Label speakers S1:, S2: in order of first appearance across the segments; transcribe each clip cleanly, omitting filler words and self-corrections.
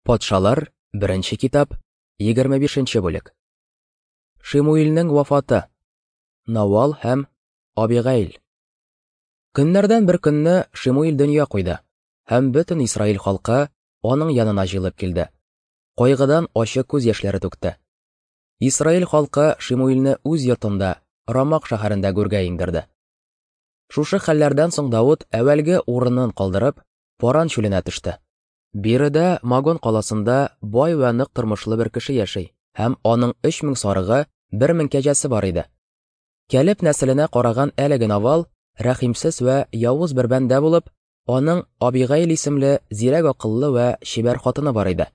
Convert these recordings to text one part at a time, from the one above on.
S1: Патшалар, беренче китап, 25 нче бүлек. Шимуилнең вафаты. Навал һәм Абигаил. Көннәрдән бер көнне Шимуил дөнья куйды, һәм бөтен Исраил халкы аның янына җыелып килде. Кайгыдан ачы күз яшьләре түкте. Исраил халкы Шимуилне үз йортында, Рамак шәһәрендә гүргә иңдерде. Шушы хәлләрдән соң Давыт әүвәлге урынын калдырып, Паран чүленә төште. Биредә Магон каласында бай вә нык тормышлы бер кеше яши һәм аның 3000 сарыгы, 1000 кәҗәсе бар иде. Кәлеб нәселенә караган әлеге Навал рәхимсез вә явыз бер бәндә булып, аның Абигаил исемле зирәк акыллы вә чибәр хатыны бар иде.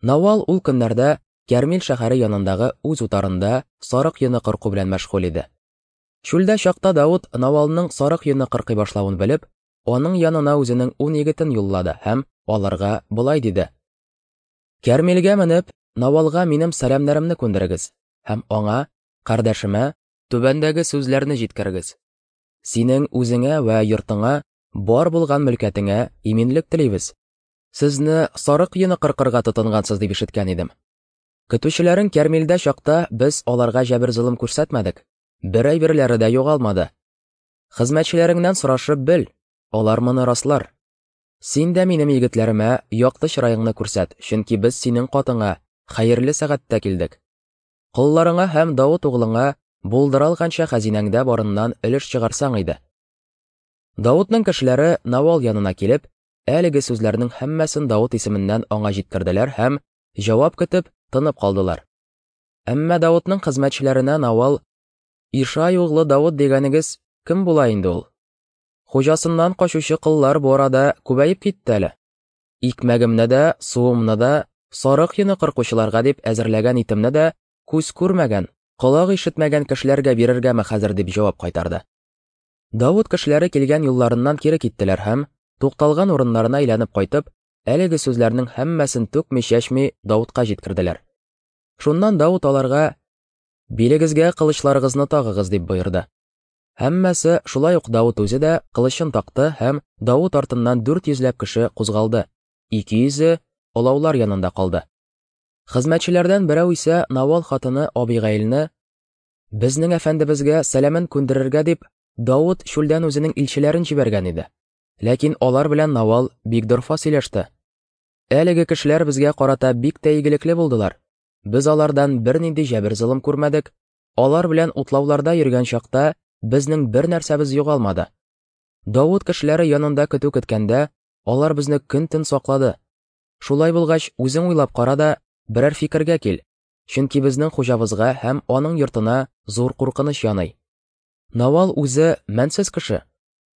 S1: Навал ул көннәрдә Кәрмил шәһәре янындагы үз утарында сарык йоны кырку белән мәшгуль иде. Чүлдә чакта Давыт Навалның сарык йоны кыркый башлавын белеп, аның янына үзенең ун егетен юллады һәм аларга болай диде. Кәрмилгә менеп, Навалга минем сәламнәремне күндерегез һәм аңа, кардәшемә, түбәндәге сүзләрне җиткерегез. Синең үзеңә вә йортыңа, бар булган мөлкәтеңә иминлек телибез. Сезне сарык йоны кыркырга тотынгансыз дип ишеткән идем. Көтүчеләрең Кәрмилдә чакта без аларга җәбер-золым күрсәтмәдек, бер әйберләре дә югалмады. Хезмәтчеләреңнән сорашып бел, алар моны раслар. Син дә минем егетләремә якты чыраеңны күрсәт, чөнки без синең катыңа хәерле сәгатьтә килдек. Колларыңа һәм Давыт углыңа булдыра алганча хәзинәңдә барыннан өлеш чыгарсаң иде. Давытның кешеләре Навал янына килеп, әлеге сүзләрнең һәммәсен Давыт исеменнән аңа җиткерделәр һәм, җавап көтеп, тынып калдылар. Әмма Давытның хезмәтчеләренә Навал Ишай углы Давыт дигәнегез кем була инде ул? Хуҗасыннан качучы коллар бу арада күбәеп китте әле. Икмәгемне дә, суымны да, сарык йоны кыркучыларга дип әзерләгән итемне дә күз күрмәгән, колак ишетмәгән кешеләргә бирергәме хәзер дип җавап кайтарды. Давыт кешеләре килгән юлларыннан кире киттеләр һәм, тукталган урыннарына әйләнеп кайтып, әлеге сүзләрнең һәммәсен түкми-чәчми Давытка җиткерделәр. Шуннан Давыт аларга Билегезгә кылычларыгызны тагыгыз, дип боерды. Һәммәсе, шулай ук Давыт үзе дә, кылычын такты һәм Давыт артыннан дүрт йөзләп кеше кузгалды, ике йөзе олаулар янында калды. Хезмәтчеләрдән берәү исә Навал хатыны Абигаилне, Безнең әфәндебезгә сәламен күндерергә дип, Давыт чүлдән үзенең илчеләрен җибәргән иде. Ләкин алар белән Навал бик дорфа сөйләште. Әлеге кешеләр безгә карата бик тә игелекле булдылар. Без алардан бернинди җәбер-золым күрмәдек, алар белән утлауларда йөргән чакта безнең бер нәрсәбез югалмады. Давыт кешеләре янында көтү көткәндә, алар безне көн-төн саклады. Шулай булгач, үзең уйлап кара да, берәр фикергә кил, чөнки безнең хуҗабызга һәм аның йортына зур куркыныч яный. Навал үзе мәнсез кеше,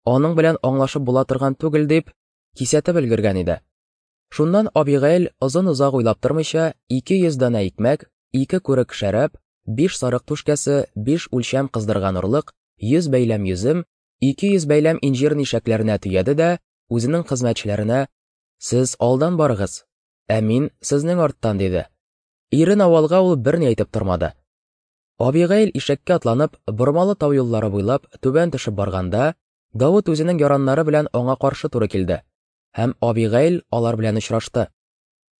S1: аның белән аңлашып була торган түгел дип, кисәтеп өлгергән иде. Шуннан Абигаил озын-озак уйлап тормыйча, 200 данә икмәк, ике күрек шәраб, биш сарык түшкәсе, биш үлчәм кыздырган орлык, 100 бәйләм йөзем, 200 бәйләм инҗир нишәкләренә төяде дә, үзенең хезмәтчеләренә, Сез алдан барыгыз, ә мин сезнең арттан, диде. Ире Навалга ул берни әйтеп тормады. Абигаил ишәккә атланып, бормалы тау юллары буйлап түбән төшеп барганда, Давыт үзенең яраннары белән аңа каршы туры килде. Һәм Абигаил алар белән очрашты.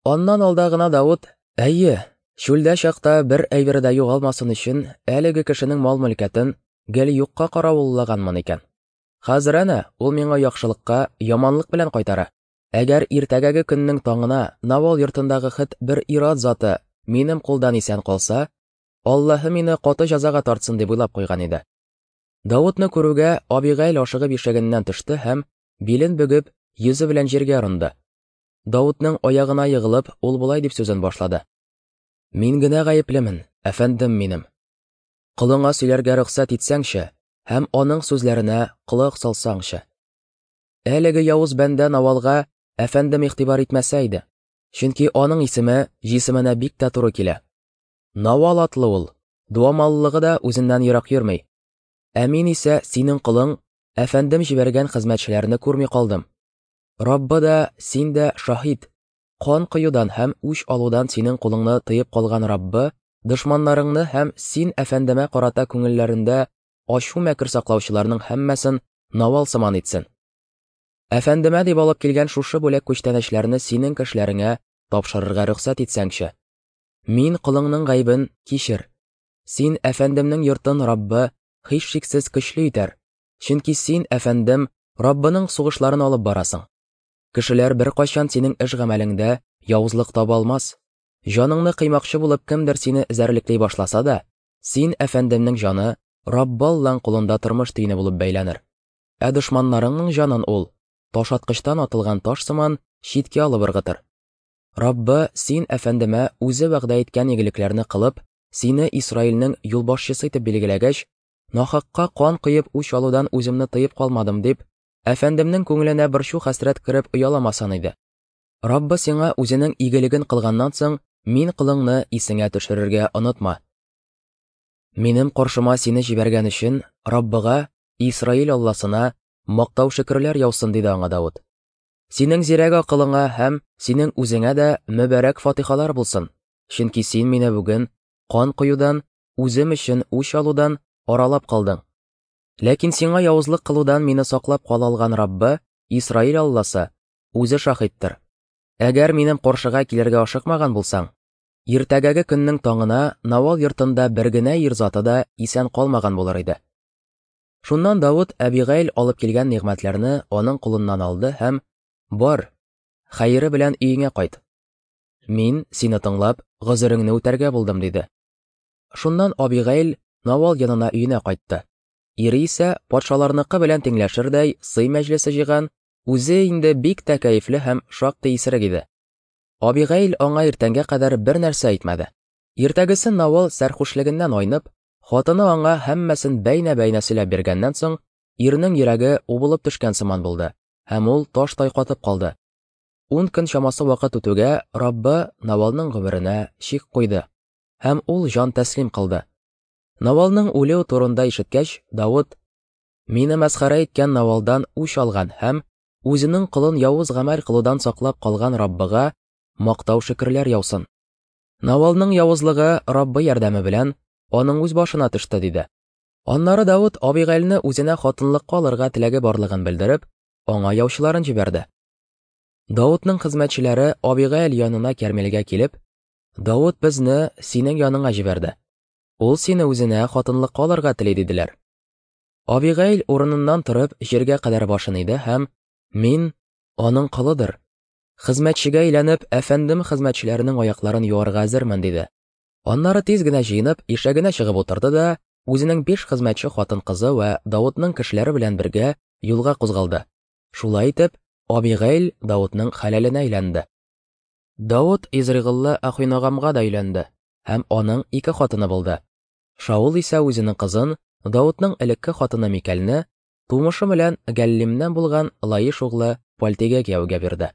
S1: Аннан алда гына Давыт, Әйе, чүлдә чакта бер әйбере дә югалмасын өчен әлеге кешенең мал-мөлкәтен гел юкка каравыллаганмын икән. Хәзер әнә ул миңа яхшылыкка яманлык белән кайтара. Әгәр иртәгәге көннең таңына Навал йортындагы хет бер ир-ат заты минем кулдан исән калса, Аллаһы мине каты җәзага тартсын дип уйлап куйган иде. Давытны күрүгә, Абигаил ашыгып ишәгеннән төште һәм Билен бөгеп, йөзе белән җиргә орынды. Давытның аягына егылып, ул болай дип сүзен башлады. Мин генә гаеплемен, әфәндем минем. Колыңа сөйләргә рөхсәт итсәңче һәм аның сүзләренә колак салсаңчы. Әлеге явыз бәндә Навалга әфәндем игътибар итмәсә иде, чөнки аның исеме җисеменә бик тә туры килә. Навал атлы ул, дуамаллыгы да үзеннән ерак йөрми. Ә мин исә синең колың, әфәндем җибәргән хезмәтчеләрне күрми калдым. Раббы да, син дә шаһит. Кан коюдан һәм үч алудан синең кулыңны тыеп калган Раббы, дошманнарыңны һәм син әфәндемә карата күңелләрендә ачу-мәкер саклаучыларның һәммәсен Навал сыман итсен. Әфәндемә дип алып килгән шушы бүләк-күчтәнәчләрне синең кешеләреңә тапшырырга рөхсәт итсәңче. Мин колыңның гаебен кичер. Син әфәндемнең йортын Раббы һичшиксез көчле итәр, чөнки син, әфәндем, Раббының сугышларын алып барасың. Кешеләр беркайчан синең эш-гамәлеңдә явызлык таба алмас. Җаныңны кыймакчы булып кемдер сине эзәрлекли башласа да, син, әфәндемнең җаны Раббы Аллаң кулында тормыш төене булып бәйләнер. Ә дошманнарыңның җанын ул, ташаткычтан атылган таш сыман, читкә алып ыргытыр. Раббы, син, әфәндемә, үзе вәгъдә иткән игелекләрне кылып, сине Исраилнең юлбашчысы итеп билгеләгәч, нахакка кан коеп үч алудан үземне тыеп калмадым дип, әфәндемнең күңеленә борчу-хәсрәт кереп ояламасан иде. Раббы сиңа үзенең игелеген кылганнан соң, мин колыңны исеңә төшерергә онытма. Минем каршыма сине җибәргән өчен Раббыга, Исраил Алласына, мактау-шөкерләр яусын, диде аңа Давыт. Синең зирәк акылыңа һәм синең үзеңә дә мөбарәк фатихалар булсын, чөнки син мине бүген кан коюдан, үзем өчен үч алудан аралап калдың. Ләкин сиңа явызлык кылудан мине саклап кала алган Раббы, Исраил Алласы, үзе шаһиттыр. Әгәр минем каршыга килергә ашыкмаган булсаң, иртәгәге көннең таңына Навал йортында бер генә ир заты да исән калмаган булыр иде. Шуннан Давыт Әбигәйл алып килгән нигъмәтләрне аның кулыннан алды һәм, Бар, хәере белән өеңә кайт. Мин, сине тыңлап, гозереңне үтәргә булдым, диде. Шуннан Абигәйл Навал янына өенә кайтты. Ире исә патшаларныкы белән тиңләшердәй сый мәҗлесе җыйган, үзе инде бик тә кәефле һәм шактый исерек иде. Абигәйл аңа иртәнгә кадәр бер нәрсә әйтмәде. Иртәгесен Навал сәрхушлегеннән айнып, Хатыны аңа һәммәсен бәйнә-бәйнә сөйләп биргәннән соң, ирнең йөрәге убылып төшкән сыман булды, һәм ул таштай катып калды. Ун көн чамасы вакыт үтүгә, Раббы Навалның гомеренә чик куйды, һәм ул җан тәслим кылды. Навалның үлүе турында ишеткәч, Давыт, Мине мәсхәрә иткән Навалдан үч алган һәм үзенең колын явыз гамәл кылудан саклап калган Раббыга мактау-шөкерләр яусын. Навалның явызлыгы Раббы ярдәме белән аның үз башына төште, диде. Аннары Давыт Абигайлны үзенә хатынлыкка алырга теләге барлыгын белдереп, аңа яучыларын җибәрде. Давытның хезмәтчеләре Абигайл янына Кәрмилгә килеп, Давыт безне синең яныңа җибәрде. Ул сине үзенә хатынлыкка алырга тели, диделәр. Абигайл урыныннан торып, җиргә кадәр башын иде һәм, Мин аның колыдыр, Хезмәтчегә әйләнеп, әфәндем хезмәтчеләренең аякларын юарга әзермен, диде. Аннары тиз генә җыенып, ишәгенә чыгып утырды да, үзенең биш хезмәтче хатын-кызы вә Давытның кешеләре белән бергә юлга кузгалды. Шулай итеп, Абигейл Давытның хәләленә әйләнде. Давыт Изригыллы Ахиногамга да өйләнде һәм аның ике хатыны булды. Шаул исә үзенең кызын, Давытның элекке хатыны Микәлне, тумышы белән Галлимнән булган Лаиш углы Пальтигә кияүгә бирде.